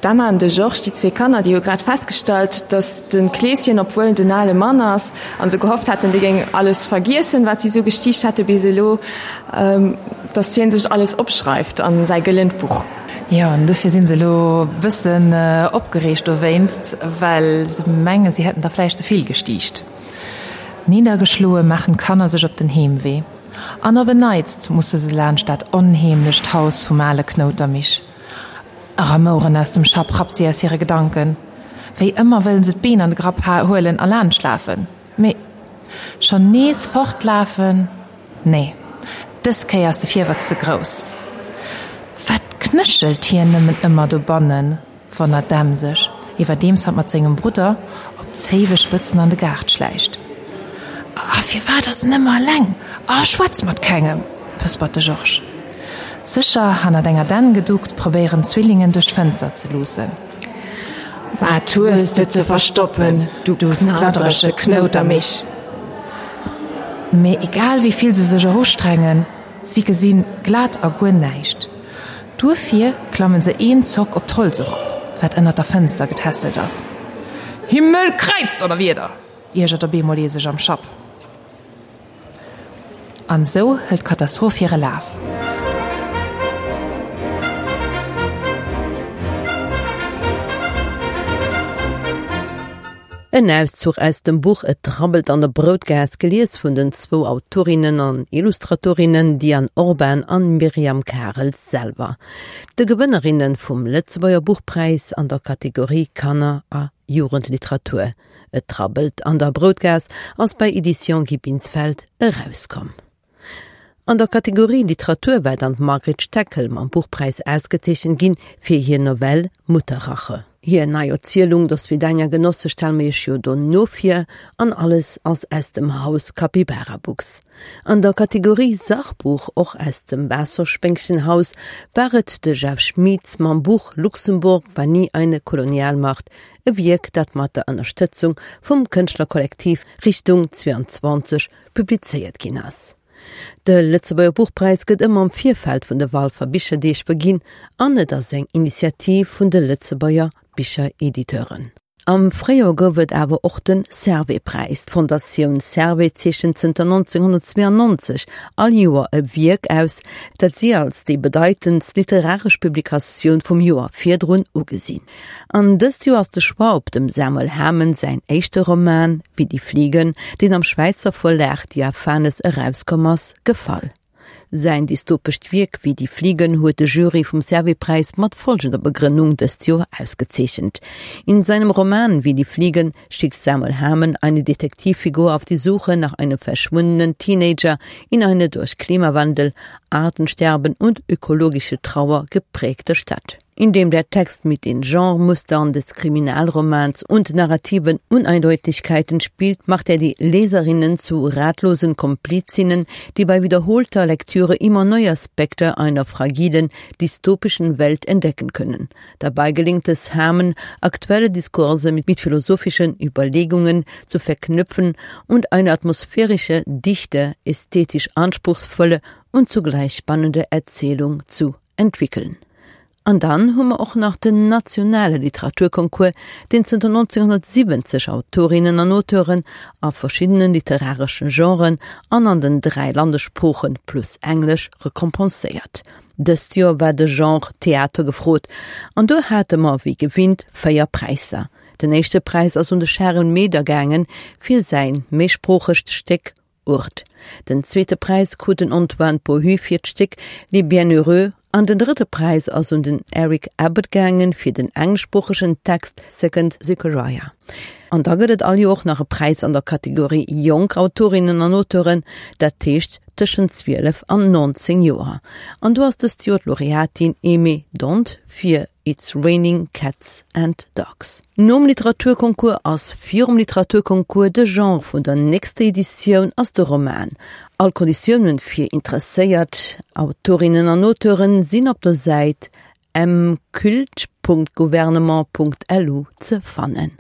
D'Emma an de Georges, déi zwee Kanner, déi hu grad festgestallt, datt de Kleeschen, obwuel en den ale Mann ass, a se gehofft haten, dee géing alles vergiessen, wat si esou gestiicht hate bis elo, datt hien sech alles opschreift a säi gëllent Buch. Jo, an dofir si se elo e bëssen opgereegt dowéinst, well se mengen, si hätten da vläicht ze vill gestiicht. Niddergeschloe maachen d'Kanner sech op den Heemwee. An op en Neits musse se laanscht dat onheemlecht Haus vum ale Knoutermich. E Ramoueren aus dem Schapp rappt si aus hire Gedanken. Wéi ëmmer wëllen se d'Been an de Grapp huelen a laanschtlafen. Mee schonn nees fortlafen? Nee, dës Kéier ass de Virwëtz ze grouss. Wat knéchelt hien nëmmen ëmmer dobannen? wonnert d'Em sech, iwwerdeems hatt mat sengem Brudder op zéiwe Spëtzen an de Gaart schläicht. A firwat ass en ëmmer eleng a schwätzt mat kengem? pëspert de Georges. Sécher hannert enger Dänn geduckt, probéieren d'Zwillingen duerch d'Fënster ze luussen. Wat hues de ze verstoppen, du knadderege Knoutermich? Mee egal wéi vill se sech och ustrengen, si gesi glat a guer näischt. Duerfir klammen se een Zock op d'Holz erop, wat ënnert der Fënster getässelt ass. Himmelkräizdonnerwieder! iergert op eemol ee sech am Schapp. An esou hëlt d'Katastroph hire Laf. En Auszuch aus dem Buch Et rabbelt an der Broutgaass, gelies vun den zwou Autorinnen an Illustratorinnen Diane Orban an Myriam Karels selwer, de Gewënnerinne vum Lëtzebuerger Buchpräis an der Kategorie Kanner a Jugendliteratur. Et rabbelt an der Broutgaass ass bei Editions Guy Binsfeld erauskomm. An der Kategorie Literatur war dann d'Margret Steckel mam Buchpräis ausgezeechent ginn fir hir Novell Mutterrache. Hir nei Erzielung Do Svidania Genosse stelle mir iech jo dono vir an alles ass aus dem Haus Capybara Books. An der Kategorie Sachbuch, och aus dem Waasserspéngchenhaus, war et de Jeff Schmitz mam Buch Luxemburg war nie eine Kolonialmacht, e Wierk dat mat der Ënnerstëtzung vum Kënschtlerkollektiv Richtung 22 publizéiert ginn ass. De Lëtzebuerger Buchpräis gëtt ëmmer am Virfeld vun de Walfer Bicherdeeg verginn an et ass eng Initiativ vun de Lëtzebuerger Bicherediteuren. Am Fréijoer gouf et awer och de Servais-Präis. D'Fondatioun Servais zeechent zënter 1992 all Joer e Wierk aus, dat si als déi bedeitendst literaresch Publikatioun vum Joer virdrun ugesinn. An dëst Joer ass de Choix op dem Samuel Hamen säin éischte Roman Wie die Fliegen, deen am Schwäizer Verlag Diaphanes erauskomm ass, gefall. Säin dystopescht Wierk Wie die Fliegen huet de Jury vum Servais-Präis mat folgender Begrënnung dëst Joer ausgezeechent, In seinem Roman Wie die Fliegen schickt Samuel Hamen eine Detektivfigur auf die Suche nach einem verschwundenen Teenager in eine durch Klimawandel, Artensterben und ökologische Trauer geprägte Stadt. In dem der Text mit den Genremustern des Kriminalromans und narrativen Uneindeutigkeiten spielt, macht er die Leserinnen zu ratlosen Komplizinnen, die bei wiederholter Lektüre immer neue Aspekte einer fragilen, dystopischen Welt entdecken können. Dabei gelingt es Hermen, aktuelle Diskurse mit, mit philosophischen Überlegungen zu verknüpfen und eine atmosphärische, dichte, ästhetisch anspruchsvolle und zugleich spannende Erzählung zu entwickeln. An dann hu mer och nach den nationale Literaturconcours, deen zënter 1970 Autorinnen an Auteuren a verschiddene literareschen Genren an an den 3 Landessproochen plus Englesch recompenséiert. Dëst Joer war de Genre Theater gefrot an do hate mer wéi gewinnt 4 Präisser. Den éischte Präis ass un de Charel Meder gaange fir säin méisproochegt Stéck Urt. Den zweete Präis krut den Antoine Pohu fir d'Stéck Les Bienheureux an den drëtte Präis ass un den Eric Abbott gaangen fir den engleschsproochegen Text Second Zechariah. An da gëtt et all Joer och nach e Präis an der Kategorie Jonk Autorinnen an Auteuren, dat heescht tëschent 12 an 19 Joer. An do ass dëst Joer d'Laureatin Aimée Dhondt fir It's Raining Cats and Dogs. Nom Literaturconcours ass virum Literaturconcours de Genre vun der nächster Editioun ass de Roman. All Konditiounen fir interesséiert Autorinnen an Auteuren sinn op der Säit mcult.gouvernement.lu ze fannen.